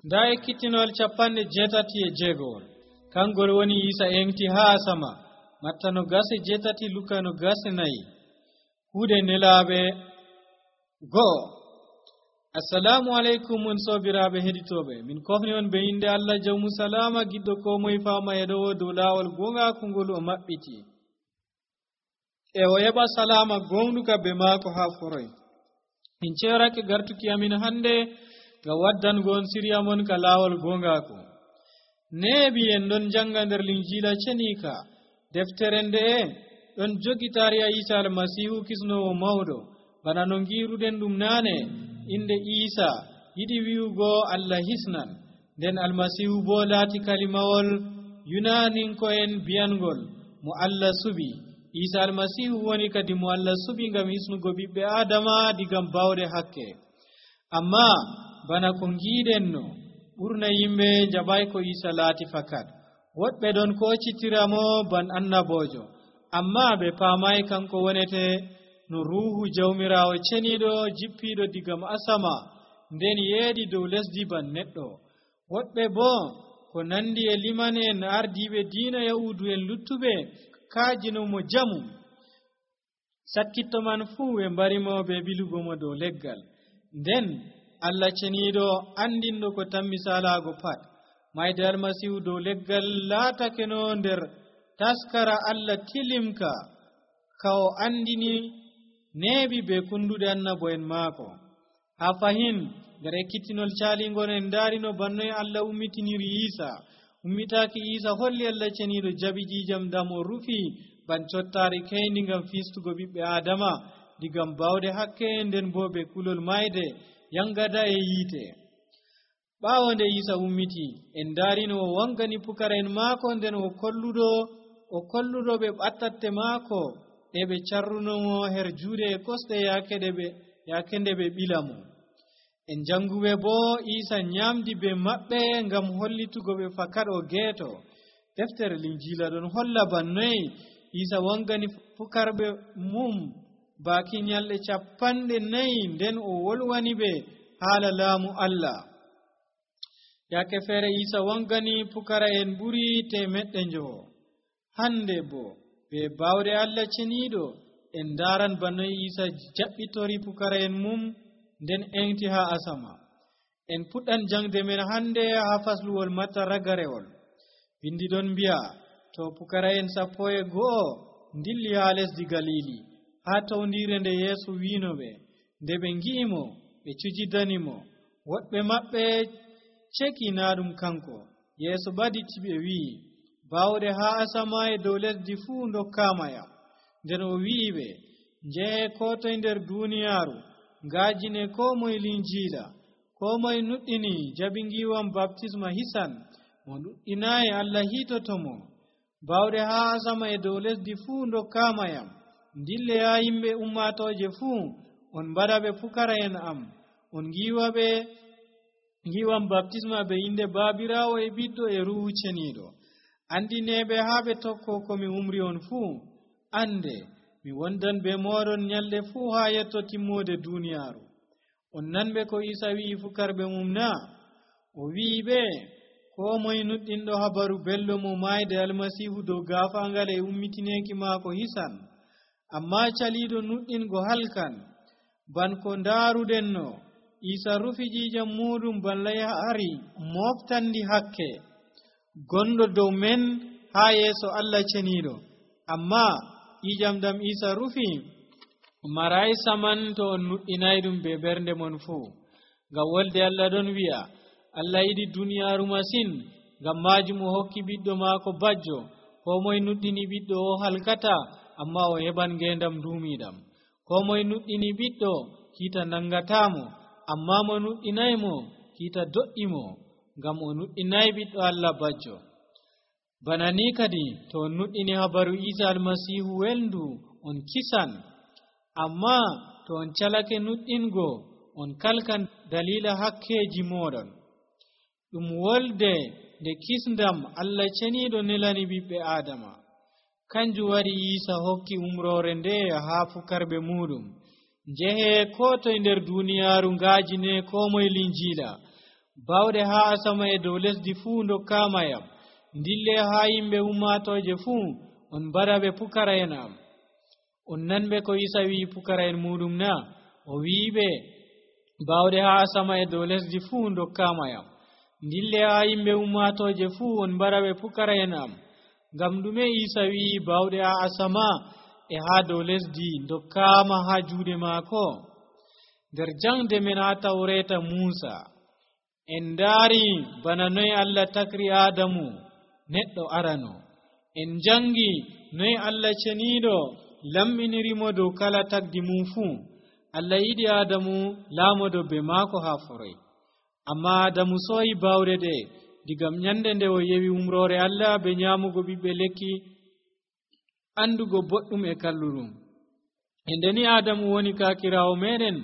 da ekkittinol 86 kangol woni Isa engti haa sama Matta 27 Luka 24 kuude nelaaɓe go'o. Assalamu alaikum on sobiraaɓe heɗitooɓe, min kofni on be inde Allah jawmu salama giɗɗo ko moye faama e ɗo dow laawol gongaako ngol o maɓɓiti e o heɓa salama gonɗuka be maako haa foroy. min ceerake gartuki amin hande ngam waddango on siriya mon ka laawol gongaako. neebi en ɗon janga nder linjiila cenika deftere nde'e ɗon jogi tariya Isa almasihu kisnowo mawɗo bana no ngiruɗen ɗum naane. inde Isa yiɗi wi'ugo Allah hisnan, nden almasihu bo laati kalimawol yunaninko'en biyangol mo Allah suɓi. Isa almasihu woni kadi mo Allah suɓi ngam hisnugo ɓiɓɓe Adama digam bawɗe hakke. amma bana ko ngiɗen no ɓurna yimɓe jaɓay ko Isa laati fakat. woɗɓe ɗon kocitiramo ban annabojo, amma ɓe paamay kanko wonete no ruhu jawmirawo ceniɗo jippiɗo digam asama nden yeeɗi dow lesdi ban neɗɗo. woɗɓe bo ko nandi e liman en ardiɓe diina yahudu en luttuɓe kaajinomo jamu. sakkitto man fuu ɓe mbarimo ɓe bilugo mo dow leggal. nden Allah ceniɗo andinɗo ko tammi salago pat mayde almasihu dow leggal laatake no nder taskara Allah tilimka ka o andini neebi be kunduɗe annabo en maako. ha fahin nder ekkittinol caalingol en daarino bannoye Allah ummitiniri Isa. ummitaki Isa holli Allah ceniɗo jaɓi ƴiƴam dam o rufi ban cottari keyndi ngam fistugo ɓiɓɓe Adama digam bawde hakke nden bo be kulol mayde yangada e yiite. ɓaawo nde Isa ummiti en daarino o wangani pukara en maako nden o kolluɗo ɓe ɓattatte maako e ɓe carrunomo her juuɗe e kosɗe yaake nde ɓe ɓilamo. en janguɓe bo Isa nyamdi be maɓɓe ngam hollitugo ɓe fakat o geeto. deftere linjiila ɗon holla bannoye Isa wangani pukarɓe mum baaki nyalɗe 40 nden o wolwani ɓe haala laamu Allah. yaake feere Isa wangani pukara en ɓuri 100. hande bo be bawde Allah ceniɗo en daran bannoye Isa jaɓɓitori pukara en mum nden engti ha asama. en puɗɗan jangde men hande ha fasluwol Matta ragarewol. bindi ɗon mbi'a to pukara en 11 dilli ha lesdi Galili ha tawndire nde Yeesu wiinoɓe. nde ɓe ngi'imo ɓe cujidanimo. woɗɓe maɓɓe ceki na ɗum kanko. Yeesu ɓaditi ɓe wi'i, bawɗe ha asama e dow lesdi fuu dokkamaya. nden o wi'iɓe, njehe ko toye nder duniyaaru ngajine ko moye linjiila. ko moye nuɗɗini jaɓi ngiwam baptisma hisan, mo nuɗɗinayi Allah hiitotomo. bawɗe ha asama e dow lesdi fuu dokkamayam. dille ya yimɓe ummatoje fuu, on mbaɗa ɓe pukara en am. on ngiwam baptisma be inde Baabirawo e Ɓiɗɗo e Ruhu Ceniɗo. andineɓe ha ɓe tokko komi umri on fuu. ande mi wondan be moɗon nyalɗe fuu ha yetto timmode duniyaaru. on nanɓe ko Isa wi'i fukarɓe mum na? o wi'iɓe, ko moye nuɗɗinɗo habaru belɗo mo mayde almasihu dow gaafangal e ummitineki maako hisan. amma caliɗo nuɗɗingo halkan. ban ko ndaaruɗen no Isa rufi ƴiƴam muɗum balla yahari moftandi hakke gonɗo dow men ha yeeso Allah ceniɗo. amma ƴiƴam dam Isa rufi maray saman to on nuɗɗinay ɗum be ɓernde mon fuu. ngam wolde Allah ɗon wi'a, Allah yiɗi duniyaaru masin, ngam majum o hokki ɓiɗɗo maako bajjo. ko moye nuɗɗini ɓiɗɗo o halkata, amma o heɓan ngendam duumiɗam. ko moye nuɗɗini ɓiɗɗo kiita nangatamo, amma mo nuɗɗinaymo kiita do'imo, ngam o nuɗɗinayi ɓiɗɗo Allah bajjo. bana ni kadi to on nuɗɗini habaru Isa almasihu welndu on kisan. amma to on calake nuɗɗingo on kalkan dalila hakkeji moɗon. ɗum wolde nde kisndam Allah ceniɗo nelani ɓiɓɓe Adama. kanjum waɗi Isa hokki umrore nde ha fukarɓe muɗum. njehe ko toye nder duniyaaru ngajine ko moye linjiila. bawde haa asama e dow lesdi fuu ndokkama yam ndille haa yimɓe ummatoje fuu on mbaraɓe pukara en am. On nanɓe ko Isa wi pukara en muɗum na? O wiiɓe bawde haa asama e dow lesdi fuu ndokkama yam ndille haa yimɓe ummatoje fuu on mbaraɓe pukara en am. Ngam ɗume Isa wi bawde haa asama e haa dow lesdi ndokkama haa juuɗe maako? Nder jangde men haa Tawreta Muusa en ndaari bana noy Allah takri Adamu neɗɗo arano. En jangi noy Allah ceniiɗo lamɓinirimo dow kala tagdi mum fuu. Allah yiɗi Adamu laamodo be maako haa foroy, amma Adamu sooyi bawde ɗe digam nyande nde o yewi umrore Allah be nyaamugo ɓiɓɓe lekki andugo boɗɗum e kalluɗum. E ndeni Adamu woni kaakirawo meɗen,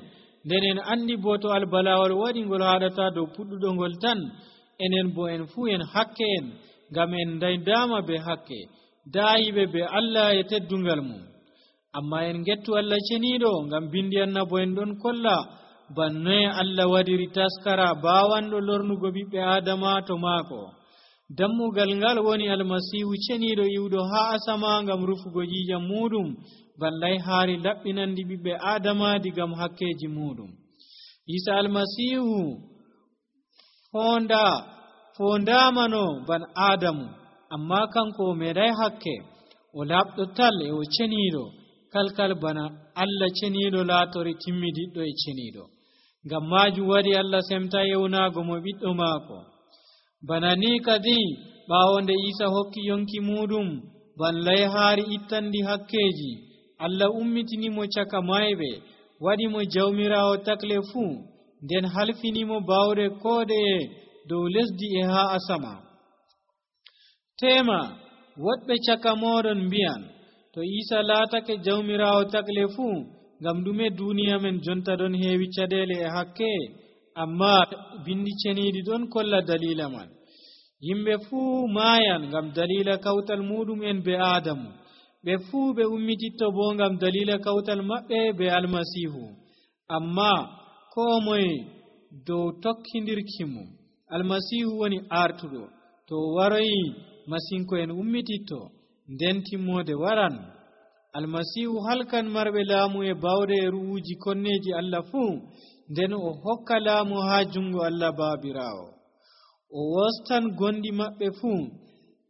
nden en andi bo to albalawal waɗi ngol haɗata dow puɗɗuɗo ngol tan, enen bo en fuu en hakke en, ngam en daydama be hakke daayiɓe be Allah e teddungal mum. Amma en gettu Allah ceniiɗo, ngam bindi annabo en ɗon kolla bannoye Allah waɗiri taskara bawanɗo lornugo ɓiɓɓe Adama to maako. Dammugal ngal woni Almasihu ceniiɗo iwɗo haa asama ngam rufugo jiijam muɗum, ballay haari laɓɓinandi ɓiɓɓe Adama digam hakkeji muɗum. Isa Almasihu fondamano ban Adamu, amma kanko o meeɗay hakke, o laɓɗo tal e o ceniiɗo kalkal bana Allah ceniiɗo laatori timmidiɗɗo e ceniiɗo. Ngam maajum waɗi Allah semta yewnaago mo ɓiɗɗo maako. Bana ni kadi ɓaawo nde Isa hokki yonki muɗum ballay haari ittandi hakkeji, Allah ummitinimo caka mayɓe, waɗimo jawmirawo takle fuu, nden halfinimo bawde koɗeye dow lesdi e haa asama. Tema woɗɓe caka moɗon mbiyan, to Isa laatake jawmirawo takle fuu, ngam ɗume duniya men jonta ɗon heewi caɗeele e hakke? Amma bindi ceniiɗi ɗon kolla dalila man. Yimɓe fuu maayan ngam dalila kawtal muɗum en be Adamu. Ɓe fuu ɓe ummititto bo ngam dalila kawtal maɓɓe be Almasihu. Amma koo moye dow tokkindirki mum. Almasihu woni artuɗo. To waroyi masinko en ummititto, nden timmode waran. Almasihu halkan marɓe laamu e bawde e ru'uji konneji Allah fuu, nden o hokka laamu haa jungo Allah baabirawo. O wostan gondi maɓɓe fuu,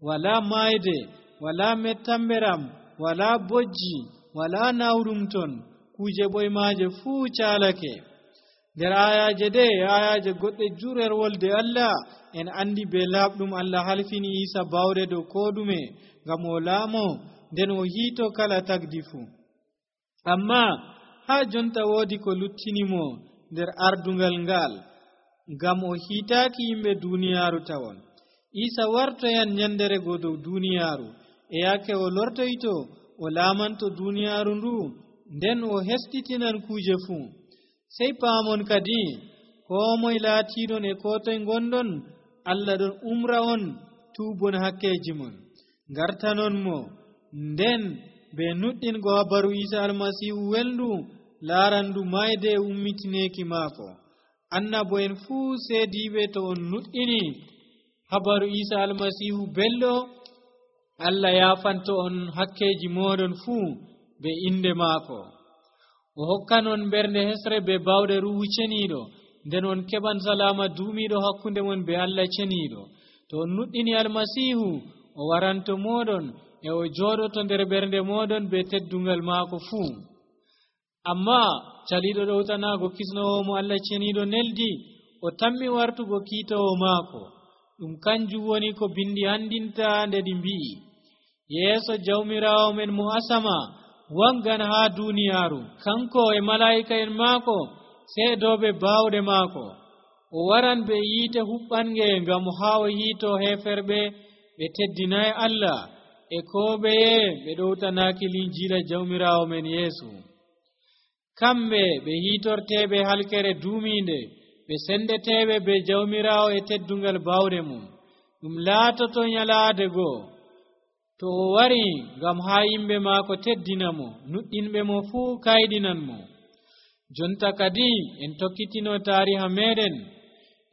wala mayde, wala mettamberam, wala bojji, wala nawɗum ton, kuje ɓoymaaje fuu caalake. Nder ayaje ɗe ayaje goɗɗe jurel wolde Allah, en andi be laaɓɗum Allah halfini Isa bawde dow koɗume, ngam o laamo nden o hiito kala tagdi fuu. Amma haa jonta woodi ko luttinimo nder ardungal ngal, ngam o hiitaaki yimɓe duniyaaru tawon. Isa wartoyan nyandere go dow duniyaaru, e yake o lortoyto o laamanto duniyaaru ndu, nden o hestitinan kuuje fuu. Sey paamon kadi koo moye laatiiɗon e koo toye ngonɗon, Allah ɗon umra on tuubon hakkeji mon, ngartanon mo, nden be nuɗɗingo habaru Isa Almasihu welndu laarandu mayde e ummitineeki maako. Annabo en fuu seediiɓe to on nuɗɗini habaru Isa Almasihu belɗo, Allah yaafanto on hakkeji moɗon fuu be inde maako. O hokkanon ɓernde hesre be bawde ruhu ceniiɗo, nden on keɓan salama duumiiɗo hakkunde mon be Allah ceniiɗo. To on nuɗɗini Almasihu, o waranto moɗon e o jooɗoto nder ɓernde moɗon be teddungal maako fuu. Amma caliiɗo ɗowtanaago kisnowo mo Allah ceniiɗo neldi, o tammi wartugo kiitowo maako. Ɗum kanjum woni ko bindi andinta nde ɗi mbi'i, yeeso jawmirawo men mo asama waggan haa duniyaaru, kanko e malaa'ika en maako seedoɓe baawɗe maako. O waran be yiite huɓɓange ngam haa o hiito heeferɓe ɓe teddinayi Allah e koo ɓeye ɓe ɗowtanaaki linjiila jawmirawo men Yeesu. Kamɓe ɓe hiitorteeɓe halkere duumiinde, ɓe sendeteeɓe be jawmirawo e teddungal baawɗe mum. Ɗum laatoto nyalaade goo to o wari ngam haa yimɓe maako teddina mo, nuɗɗinɓe mo fuu kayɗinan mo. Jonta kadi en tokkitino taariha meɗen,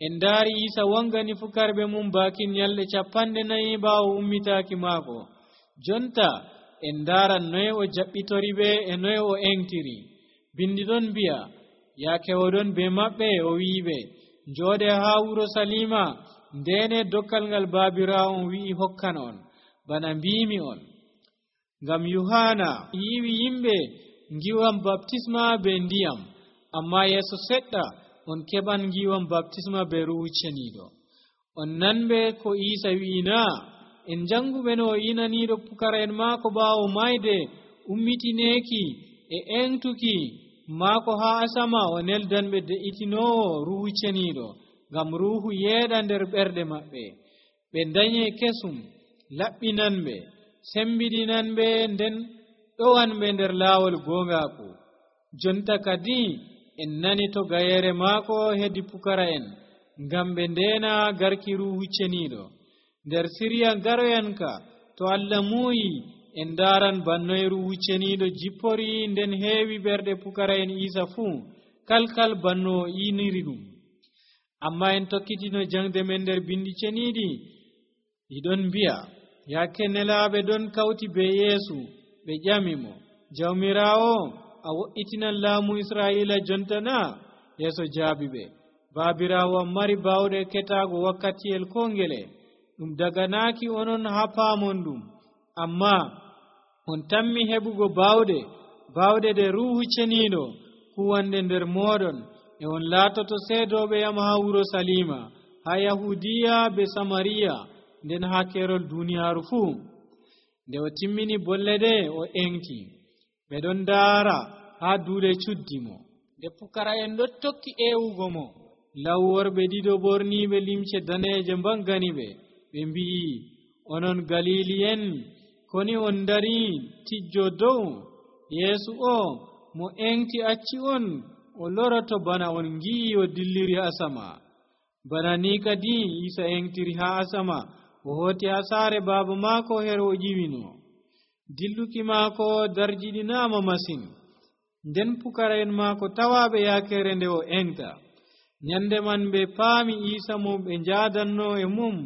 en daari Isa wongani fukarɓe mum bakin nyalɗe 40 ɓaawo ummitaaki maako. Jonta en ndaaran noye o jaɓɓitori ɓe e noye o eŋtiri. Bindi ɗon mbi'a yaake oɗon be maɓɓe o wi'iɓe njooɗe haa wuro Salima ndene dokkal ngal baabiraawo on wi'i hokkan on bana mbiimi on. Ngam Yohana yiwi yimɓe ngiwam baptisma be ndiyam, amma yeeso seɗɗa on keɓan ngiwam baptisma be Ruhu Ceniiɗo. On nanɓe ko Isa wi'ina? En janguɓe no o inaniiɗo pukara'en maako ɓaawo mayde ummitineeki e eŋtuki maako haa asama o neldanɓe de'itinoowo Ruhu Ceniiɗo, ngam Ruhu yeeɗa nder ɓerɗe maɓɓe. Ɓe danye kesum, laɓɓinanɓe, sembiɗinanɓe, nden ɗowanɓe nder laawol goongaaku. Jonta kadi en nani to gayere maako hedi pukara'en ngam ɓe ndeena garki Ruhu Ceniiɗo. Nder siriya garoyanka to Allah muuyi en daaran bannoye Ruhu Ceniiɗo jippori nden heewi ɓerɗe pukara'en Isa fuu kalkal banno o iniri ɗum. Amma en tokkitino jangde men nder bindi ceniiɗi ɗiɗon mbi'a yaake nelaaɓe ɗon kawti be Yeesu ɓe ƴami mo, Jawmiraawo, a wo'itinan laamu Israa'iila jonta na? Yeeso jaabi ɓe, baabiraawo am mari baawɗe ketaago wakkatiyel ko ngele. Ɗum daganaaki onon haa paamon ɗum, amma on tammi heɓugo baawɗe ɗe Ruhu Ceniiɗo kuwande nder mooɗon, e on laatoto seedooɓe yam haa wuro Salima, haa Yahudiya be Samariya, nden haa keerol duuniyaaru fuu. Nde o timmini bolle ɗe o eŋti. Ɓe ɗon ndaara haa duuɗe cuddi mo. Nde pukara'en ɗon tokki eewugo mo, law worɓe ɗiɗo ɓorniiɓe limce daneeje mbangani ɓe. Ɓe mbi'i, onon Galili'en, koni on ndarii tijjo dow? Yeesu o mo eŋti acci on o loroto bana on ngi'i o dilliri asama. Bana ni kadi Isa eŋtiri haa asama, o hooti haa saare baaba maako her o ƴiwino. Dilluki maako darjiɗinaama masin. Nden pukara'en maako tawaaɓe yaakere nde o eŋta. Nyande man ɓe paami Isa mo ɓe njaadanno e mum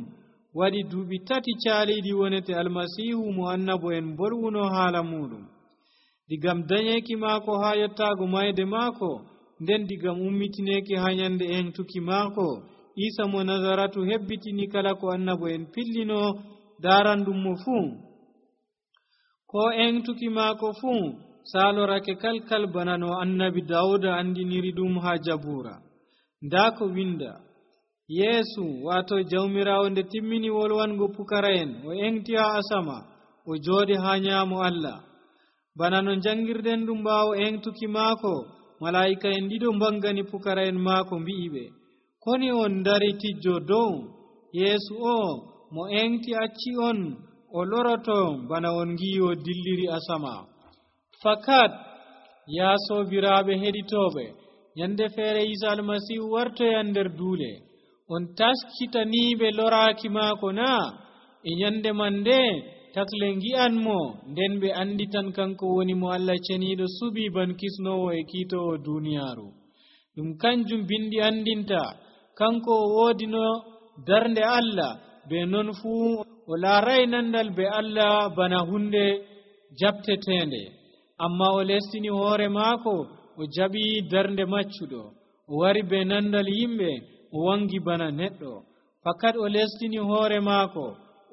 waɗi duuɓi 3 caaliiɗi wonete Almasiihu mo annabo en bolwuno haala muɗum. Digam dañeeki maako haa yottaago mayde maako, nden digam ummitineeki haa nyande eŋtuki maako, Isa mo Nazaratu hebbitini kala ko annabo en pillino daaranɗum mo fuu. Ko eŋtuki maako fuu saalorake kalkal bana no annabi Dawuda andiniri ɗum haa Jabuura. Ndaa ko winda, Yeesu waato Jawmiraawo nde timmini wolwango pukara'en, o eŋti haa asama, o jooɗi haa nyaamo Allah. Bana no jangirden ɗum ɓaawo eŋtuki maako, malaa'ika'en ɗiɗo mbangani pukara'en maako mbi'i ɓe, koni on ndari tijjo dow? Yeesu o mo eŋti acci on o loroto bana on ngi'i o dilliri asama. Fakat yaa soobiraaɓe heɗitooɓe, nyande feere Isa Almasiihu wartoyan nder duule, on taskitaniiɓe loraaki maako na? E nyande man nde takle ngi'an mo, nden ɓe anditan kanko woni mo Allah ceniiɗo suɓi ban kisnowo e kiitowo duuniyaaru. Ɗum kanjum bindi andinta kanko o woodino darnde Allah, be non fuu o laaray nandal be Allah bana hunde jaɓteteende. Amma o lestini hoore maako, o jaɓi darnde maccuɗo, o wari be nandal yimɓe, o wangi bana neɗɗo. Fakat o lestini hoore maako,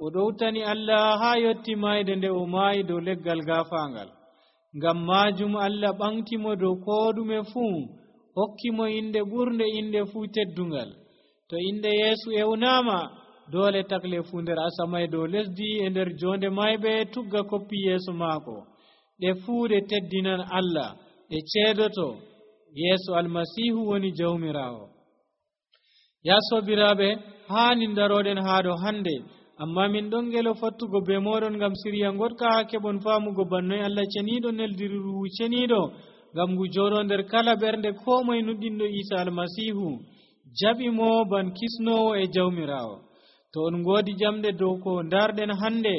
o ɗowtani Allah haa yotti mayde nde o maayi dow leggal gaafaangal. Ngam maajum Allah ɓamtimo dow koo ɗume fuu, hokkimo inde ɓurnde inde fuu teddungal. To inde Yeesu ewnaama, doole takle fuu nder asama e dow lesdi e nder jonde mayɓe tugga koppi yeeso maako. Ɗe fuu ɗe teddinan Allah, ɗe ceedoto Yeesu Almasiihu woni Jawmiraawo. Ya sobiraaɓe, haani ndaroɗen haa ɗo hande, amma min ɗon ngelo fottugo be moɗon ngam siriya goɗka haa keɓon faamugo bannoye Allah ceniiɗo neldiri Ruhu Ceniiɗo ngam ngu jooɗo nder kala ɓernde koo moye nuɗɗinɗo Isa Almasiihu, jaɓi mo ban kisnowo e Jawmiraawo. To on ngoodi jamɗe dow ko ndarɗen hande,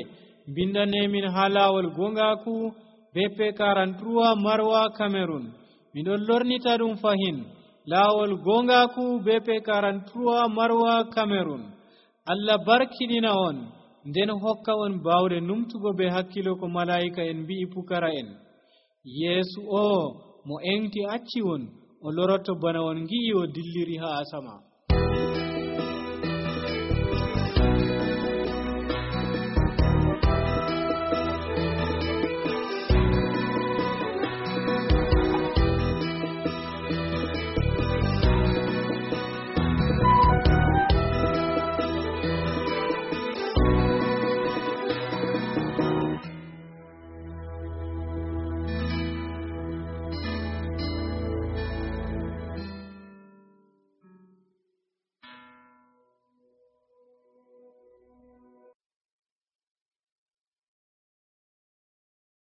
mbindanemin haa laawol gongaaku BP 43 Marwa Cameroon. Miɗon lornita ɗum fahin laawol gongaku BP 43 Marwa Cameroon. Allah barkidina on nden hokka on bawde numtugo be hakkilo ko malaika en mbi'i pukara en. Yesu o mo engti acci won o loroto bana on ngi'i o dilliri ha asama.